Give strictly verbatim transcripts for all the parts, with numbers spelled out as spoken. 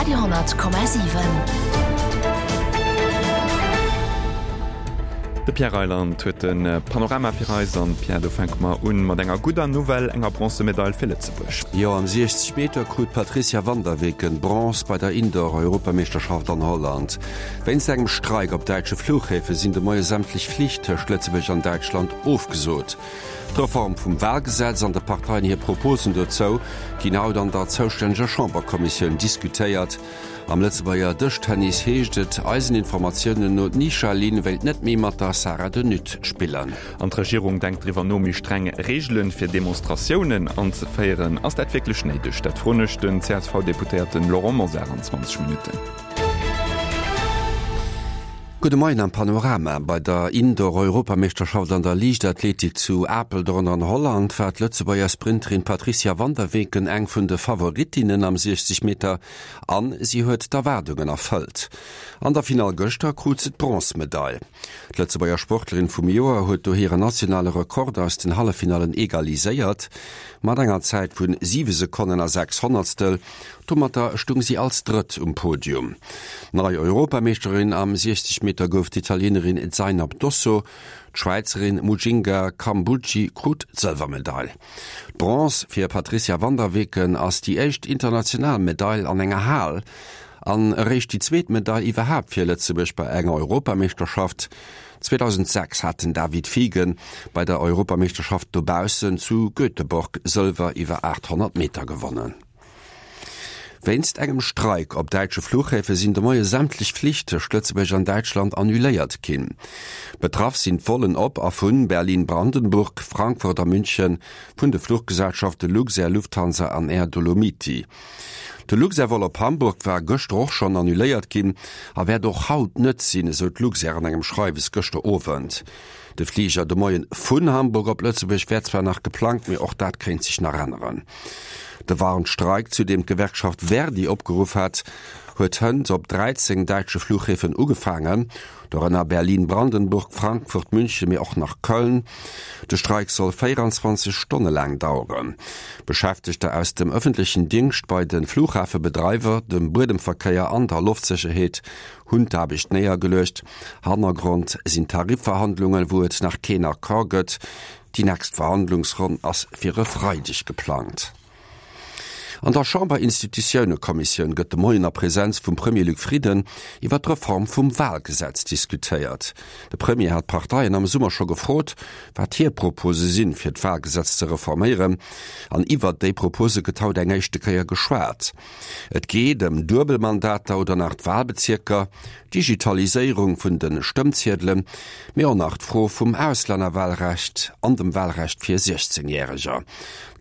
Radio honnert Komma siwen. De Pierre Reyland huet de Panorama fir eis an Pierre, do fänke mer un mat enger gudder Nouvelle, enger Bronzemedail fir Lëtzebuerg. Jo, am siechzeg Meter krut d'Patricia Van der Weken Bronze bei der Indoor-Europameeschterschaft an Holland. Wéinst engem Streik op däitsche Fluchhäfe sinn de Moie sämtlech Flich tëscht Lëtzebuerg an Däitschland ofgesot. D'Reform vum Walgesetz an de Parteien hir Proposen dozou ginn haut an der zoustänneger Chamberkommissioun diskutéiert. Am Lëtzebuerger Dëschtennis heescht et eisen Informatiounen no, d'Nisha Lin wéilt net méi mat der Sarah de Nuth spillen. An d'Regierung denkt driwwer no, méi streng Reegele fir Demonstratiounen anzeféieren. Ass dat wierklech néideg? Dat froen ech den C S V-Deputéierten Laurent Mosar an zwanzeg Minutten. Gudde Moien am Panorama. Bei der Indoor-Europameeschterschaft an der Liichtathletik zu Apeldoorn an Holland war d'Lëtzebuerger Sprinterin Patricia van der Weken eng vun de Favoritinnen am siechzeg Meter an si huet d'Erwaardungen erfëllt. An der Finall gëschter krut se d'Bronzemedail. D'Lëtzebuerger Sportlerin vum Joer huet do hire nationale Rekord aus den Halleffinallen egaliséiert mat enger Zäit vun siwe Sekonnen a sechs Honnertstel. Domatter stung si als Drëtt um Podium. Nei Europameeschterin am siechzeg Meter gouf d'Italienerin Zainab Dosso. D'Schwäizerin Mujinga Kambundji krut d'Sëlwermedail. D'Bronze fir Patricia van der Weken ass déi éischt international Medail an enger Hal an eréischt déi zweet Medail iwwerhaapt fir Lëtzebuerg bei enger Europameeschterschaft. zweedausendsechs hat den David Fiegen bei der Europameeschterschaft dobaussen zu Göteborg Sëlwer iwwer aathonnert Meter gewonnen. Wéinst engem Streik op däitsche Fluchhäfe sinn de Moie sämtlech Flich tëscht Lëtzebuerg an Däitschland annuléiert ginn. Betraff sinn d'Vollen op a vun Berlin-Brandenburg, Frankfurt a München vun de Fluchgesellschafte Luxair, Lufthansa an Air Dolomiti. De Luxair-Vol op Hamburg war gëschter och schonn annuléiert ginn a wäert och haut net sinn, esou d'Luxair an engem Schreiwes gëschter Owend. De Fliger de Moien vun Hamburg op Lëtzebuerg wär zwar nach geplangt, mee och dat kéint sech nach änneren. De Warnstreik, zu deem d'Gewerkschaft Verdi opgeruff hat, huet hënt op dräizéng däitsche Fluchhäfen ugefaangen, dorënner Berlin, Brandenburg, Frankfurt, München, mee och nach Köln. De Streik soll véieranzwanzeg Stonne laang daueren. Beschäftegter aus dem ëffentlechen Dingscht bei de Fluchhafebedreiwer, dem Buedemverkéier an der Loftsécherheet hunn d'Aarbecht néiergeluecht. Hannergrond sinn Tarifverhandlungen, wou et nach keen Accord gëtt. Déi nächst Verhandlungsronn ass fir e Freideg geplangt. An der Chamberinstitutiounekommissioun gëtt de Moien a Presenz vum Premier Luc Frieden iwwer d'Reform vum Wahlgesetz diskutéiert. De Premier hat d'Parteien am Summer scho gefrot, wat hir Propose sinn, fir d'Wahlgesetz ze reforméieren. An iwwer déi Propose gëtt haut eng éischte Kéier geschwat. Et geet ëm Duebelmandater oder nach d'Wahlbezierker, d'Digitaliséierung vun de Stëmmziedelen, mee och nach d'Fro vum Auslännerwahlrecht an dem Wahlrecht fir siechzéngjäreger.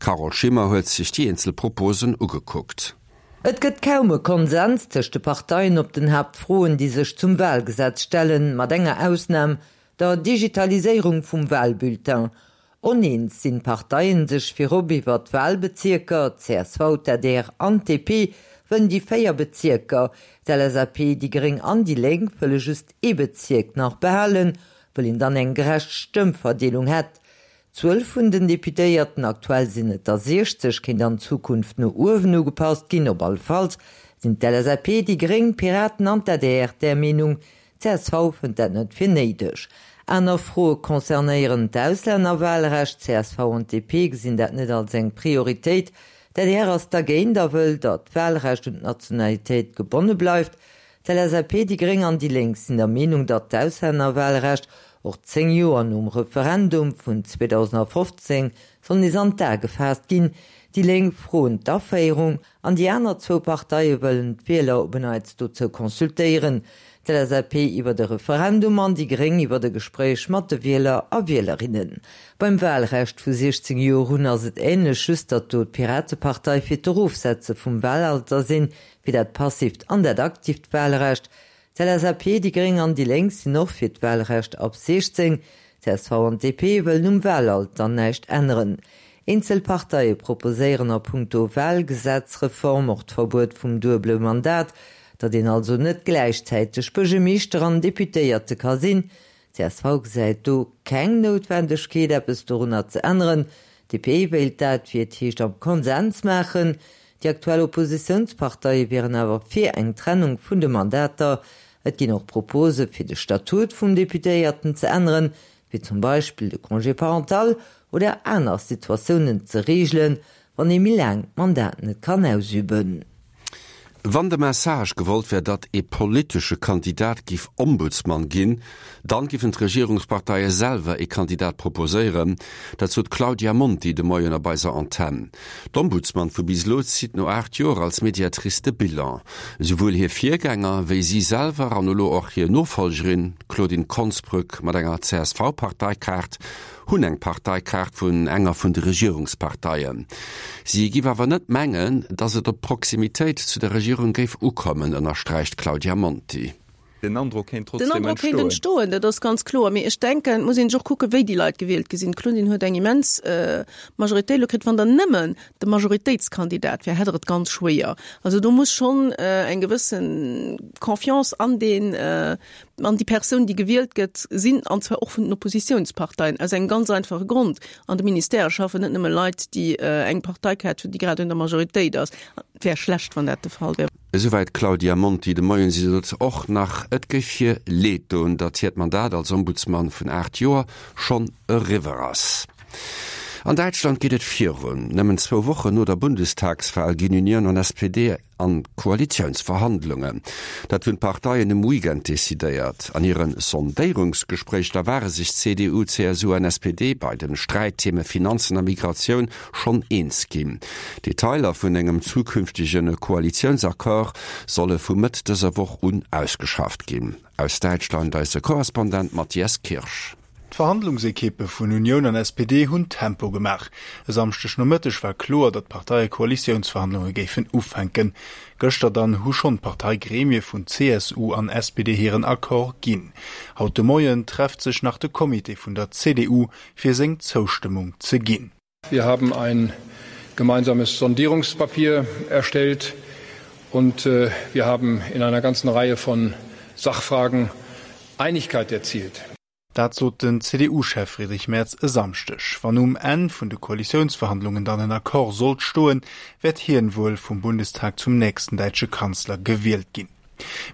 D'Carole Schimmer huet sech déi eenzel Proposen ugekuckt. Et gëtt kaum e Konsens tëscht de Parteien op den Haaptfroen, déi sech zum Wahlgesetz stellen, mat enger Ausnam, der Digitaliséierung vum Wahlbulletin. Oneens sinn d'Parteien sech virop iwwer d'Wahlbezierker, C S V, d'A D R an d'D P wëllen déi véier Bezierker, d'L S A P, déi Gréng an déi Lénk wëlle just ee Bezierk nach behalen, wëll een dann eng gerecht Stëmmverdeelung hätt. D'Zuel vun den Deputéierten, aktuell sinn et der siechzeg, kéint an Zukunft no uewen ugepasst ginn. Op alle Fall sinn d'L S A P, déi Gréng, d'Piraten an d'A D R der Meenung, d'C S V fënnt dat net fir néideg. Aner Froe concernéieren d'Auslännerwahlrecht, C S V an D P gesinn dat net als eng Prioritéit. D'A D R ass dergéint a wëll, datt d'Wahlrecht un d'Nationalitéit gebonne bleift. D'L S A P, déi Gréng an déi Lénk sinn der Meenung, datt d'Auslännerwahlrecht och zéng Joer nom Referendum vun zweedausendfofzéng soll nees an d'A gefaasst ginn. Déi Lénk froen d'Aféierung an déi aner zwou Parteie wëllen d'Wieler op en Neits dozou consultéieren. D'L S A P iwwer de Referendum an déi Gréng iwwer de Gespréich mat de Wieler a Wielerinnen. Beim Wahlrecht vu siechzéng Joer un ass et ähnlech, just datt do d'Piratepartei fir d'Erofsetze vum Wahlalter sinn, wéi dat passiivt an dat aktiivt Wahlrecht. D'L S A P, déi Gréng an déi Lénk sinn och fir d'Wahlrecht ab siechzéng. C S V an D P wëllen um Wahlalter näischt änneren. Eenzelparteie proposéieren a puncto Wahlgesetzreform och d'Verbuet vum duebele Mandat, datt een also net gläichzäiteg Buergermeeschter an Deputéierte ka sinn. C S V gesäit do keng Noutwendegkeet, eppes dorunner ze änneren. D P wéilt dat, wéi et heescht, am Konsens maachen. Déi aktuell Oppositiounsparteie wieren awer fir eng Trennung vun de Mandater. Et ginn och Propose fir de Statut vum Deputéierten ze änneren, wéi zum Beispill de Congé parental oder aner Situatiounen ze reegelen, wann ee méi laang d'Mandat net kann ausüben. Wann de Message gewollt wär, datt ee politesche Kandidat giff Ombudsman ginn, dann giffen d'Regierungsparteie selwer ee Kandidat proposéieren. Dat sot d'Claudia Monti de Moien op eiser Antenn. D'Ombudsman vu bis elo zitt no aacht Joer als Mediatrice de Bilan. Esouwuel hir Virgänger wéi si selwer an elo och hir Nofollgerin, d'Claudine Konsbrück mat enger C S V-Parteikaart, hunn eng Parteikaart vun enger vun de Regierungsparteien. Si giff awer net mengen, datt et op d'Proximitéit zu der Regierung géif ukommen, ënnersträicht d'Claudia Monti. Den Androck kéint Den trotzdem Androck kéint entstoen. entstoen, dat ass ganz kloer. Mee ech denken, et muss een sech och kucken, wéi déi Leit gewielt gi sinn. D'Claudine huet eng immens Majoritéit elo kritt. Wann der nëmmen de Majoritéitskandidat wär, hätt der et ganz schwéier. Also do muss schonn eng gewësse Confiance an deen, an déi Persoun, déi gewielt gëtt, sinn, an zwar och vun den Oppositiounsparteien, aus engem ganz einfache Grond, An de Ministèrë schaffen net nëmme Leit, déi eng Parteikaart hunn, déi grad un der Majoritéit ass. Et wär schlecht, wann dat de Fall wär. Esouwäit d'Claudia Monti de Moien. Si sot och nach, et géif hir Leed doen, datt hiert Mandat als Ombudsman vun aacht Joer schonn eriwwer ass. An Däitschland geet et virun. Nëmmen zwou Wochen no der Bundestagswal ginn Union an S P D an Koalitiounsverhandlungen. Dat hunn d'Parteien um Weekend decidéiert. An hire Sondéierungsgespréicher ware sech C D U, C S U an S P D bei den Sträittheme Finanzen a Migratioun schonn eens ginn. Detailer vun engem zukünftege Koalitiounsaccord solle vu Mëtt dëser Woch un ausgeschafft ginn. Aus Däitschland eise Korrespondent Matthias Kirsch. D'Verhandlungsekippe vun Unioun an S P D hunn Tempo gemaach. E Samschdeg Nomëtteg war kloer, datt d'Parteie Koalitiounsverhandlunge géifen ufänken. Gëschter dann hu schonn d'Parteigremie vun C S U an S P D hiren Accord ginn. Haut de Moien trefft sech nach de Comité vun der C D U fir seng Zoustëmmung ze ginn. Wir haben ein gemeinsames Sondierungspapier erstellt und wir haben in einer ganzen Reihe von Sachfragen Einigkeit erzielt. Dat sot den C D U-Chef Friedrich Merz e Samschdeg. Wann um Enn vun de Koalitiounsverhandlungen dann en Accord sollt stoen, wäert hien wuel vum Bundestag zum nächsten däitsche Kanzler gewielt ginn.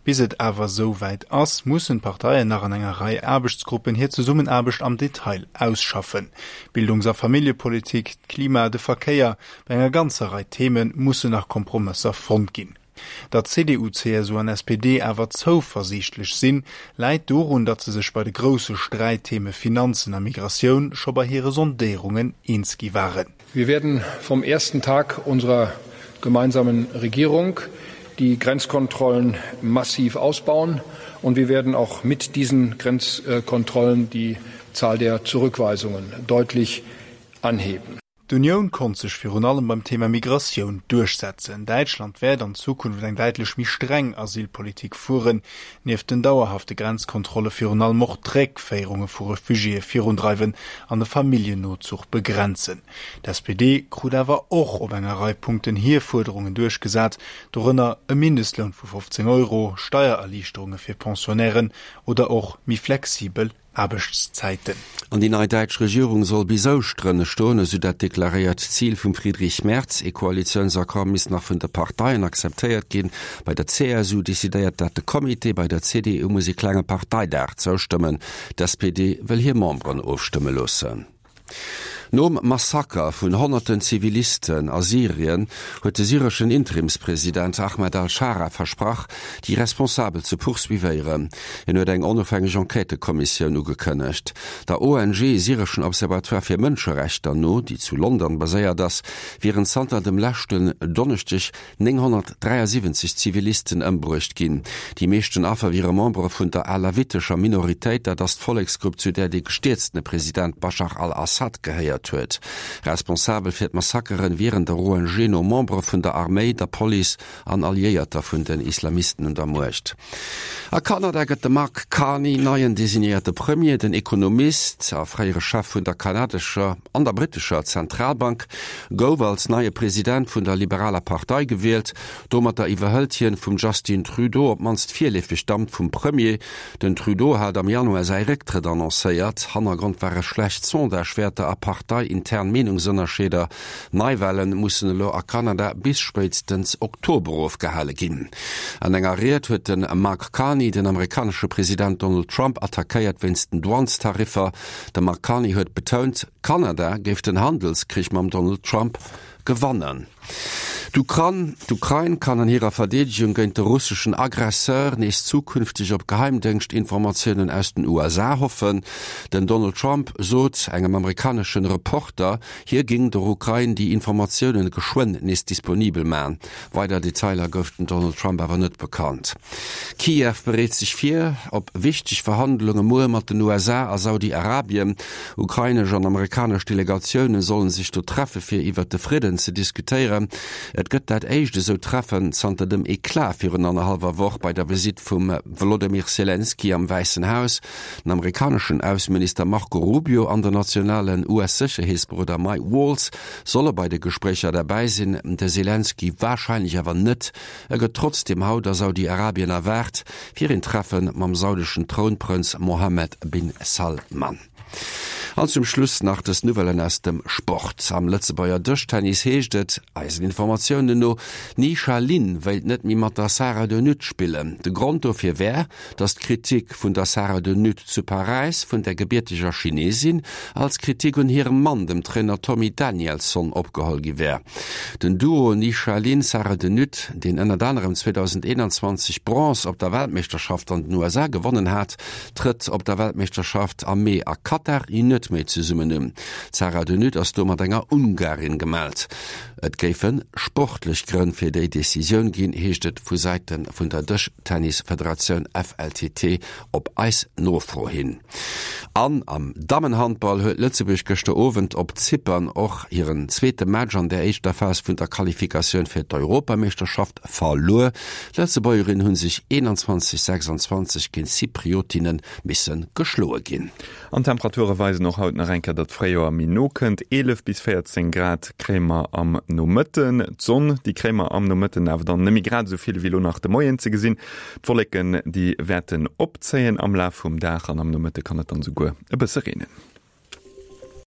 Bis et awer esou wäit ass, mussen d'Parteien nach an enger Rei Aarbechtsgruppen hir Zesummenaarbecht am Detail ausschaffen. Bildungs a Familljepolitik, d'Klima, de Verkéier, bei enger ganzer Rei Theme mussen nach Kompromësser fonnt ginn. Datt C D U, C S U an S P D awer zouversiichtlech sinn, läit dorun, datt se sech bei de grousse Sträittheme Finanzen a Migratioun scho bei hire Sondéierungen eens gi waren. Wir werden vom ersten Tag unserer gemeinsamen Regierung die Grenzkontrollen massiv ausbauen und wir werden auch mit diesen Grenzkontrollen die Zahl der Zurückweisungen deutlich anheben. D'Unioun konnt sech virun allem beim Thema Migratioun duerchsetzen. Däitschland wäert an Zukunft eng däitlech méi streng Asylpolitik fueren, nieft den dauerhafte Grenzkontrolle virun allem och d'Réckféierunge vu Refugiéë virundreiwen an de Familljennozuch begrenzen. D'S P D krut awer och op enger Rei Punkten hir Fuerderungen duerchgesat, dorënner e Mindestloun vu fofzéng Euro, Steiererliichterunge fir Pensionnairen oder och méi flexibel Aarbechtszäiten. An déi nei däitsch Regierung soll bis Ouschteren stoen, esou dat deklaréiert Zil vum Friedrich Merz. E Koalitiounsaccord misst nach vun de Parteien akzeptéiert ginn. Bei der C S U decidéiert dat de Comité, bei der C D U muss e klenge Parteidag zoustëmmen. D'S P D wëll hir Memberen ofstëmme loossen. Nom Massaker vun honnerten Zivilisten a Syrien huet de syreschen Interimspresident Ahmed al-Schara versprach, déi Responsabel ze poursuivéieren. Hien huet eng onofhängeg Enquêtëkommissioun ugekënnegt. Der O N G Syreschen Observatoire fir Mënscherechter no, déi zu London baséiert ass, wieren zanter dem leschten Donneschdeg nénghonnertdräiasiwwenzeg Zivilisten ëmbruecht ginn. Déi meeschten Affer wiere Membere vun der alawitescher Minoritéit, dat ass d'Volleksgrupp, zu där de gestierztene President Baschar al-Assad gehéiert huet. Responsabel fir d'Massakeren wieren der O N G no Membere vun der Arméi, der Police an Alliéierter vun den Islamisten un der Muecht. A Kanada gëtt de Mark Carney neien designéierte Premier. Den Ekonomist a fréiere Chef vun der kanadescher an der brittescher Zentralbank gouf als neie President vun der liberaler Partei gewielt. Domatter iwwerhëlt hien vum Justin Trudeau op d'mannst virleefeg d'Amt vum Premier. Den Trudeau hat am Januar säi Récktrëtt annoncéiert. Hannergrond ware schlecht Sondagewäerter a Partei parteiintern Meenungsënnerscheeder. Neiwale mussen elo a Kanada bis spéitstens Oktober ofgehale ginn. An enger Ried huet de Mark Carney den amerikanesche President Donald Trump attackéiert wéinst den Douanestariffer. De Mark Carney huet betount, Kanada géif den Handelskrich mam Donald Trump gewannen. D'Ukran D'Ukrain kann an hirer Verdeedegung géint de russeschen Aggresseur nees zukünfteg op Geheimdéngschtinformatiounen aus den U S A hoffen. Den Donald Trump sot engem amerikaneschen Reporter, hie géing der Ukrain déi Informatiounen geschwënn nees disponibel man. Weider Detailer gouf den Donald Trump awer net bekannt. Kiew bereet sech vir op wichteg Verhandlunge muer mat den U S A a Saudi-Arabien. Ukrainesch an amerikanesch Delegatioune sollen sech do treffe fir iwwer de Fridden ze diskutéieren. Et gëtt dat éischt esou Treffen zanter dem Eklat virun annerhallwer Woch bei der Visitt vum Volodymyr Zelensky am Wäissen Haus. Den amerikaneschen Ausseminister Marco Rubio an den nationalen U S-Sécherheetsberoder Mike Waltz solle bei de Gespréicher derbäi sinn. De Zelensky warscheinlech awer net. E gëtt trotzdeem haut a Saudi-Arabien erwaart fir een Treffen mam saudeschen Trounprënz Mohammed bin Salman. An zum Schluss nach des Nouvellen aus dem Sport. Am Lëtzebuerger Dëschtennis heescht et, eisen Informatiounen no, d'Nisha Lin wéilt net méi mat der Sarah de Nutte spillen. De Grond dofir wär, datt d'Kritik vun der Sarah de Nutte zu Paräis vun der gebierteger Chinesin als Kritik un hirem Mann, dem Trainer Tommy Danielson, opgeholl gi wär. Den Duo Nisha Lin Sarah de Nutte, deen ënnert anerem zweedausendeenanzwanzeg Bronze op der Weltmeeschterschaft an den U S A gewonnen hat, trëtt op der Weltmeeschterschaft am Mee a Katar net méi zesummen un. D'Sarah de Nutte ass do mat enger Ungarin gemellt. Et géife sportlech Grënn fir déi Decisioun ginn, heescht et vu Säite vun der Dëschtennisfederatioun F L T T op eis Nofro hin. An am Dammenhandball huet Lëtzebuerg gëschter Owend op Zypern och hiren zweete Match an der éischter Phas vun der Qualifikatioun fir d'Europameeschterschaft verluer. D'Lëtzebuergerinnen hunn sech eenanzwanzeg sechsundzwanzeg géint Zypriotinnen misse geschloe ginn. An Temperature weisen och haut nach eng Kéier, datt d'Fréijoer méi no kënnt. eelef bis véierzéng Grad kréie mer am Nomëtten. D'Sonn, déi kréie mer am Nomëtten awer dann net méi grad esou vill wéi elo nach de Moien ze gesinn. D'Wolleken, déi wäerten opzéien am Laf vum Dag an am Nomëtte kann et dann esouguer e bësse reenen.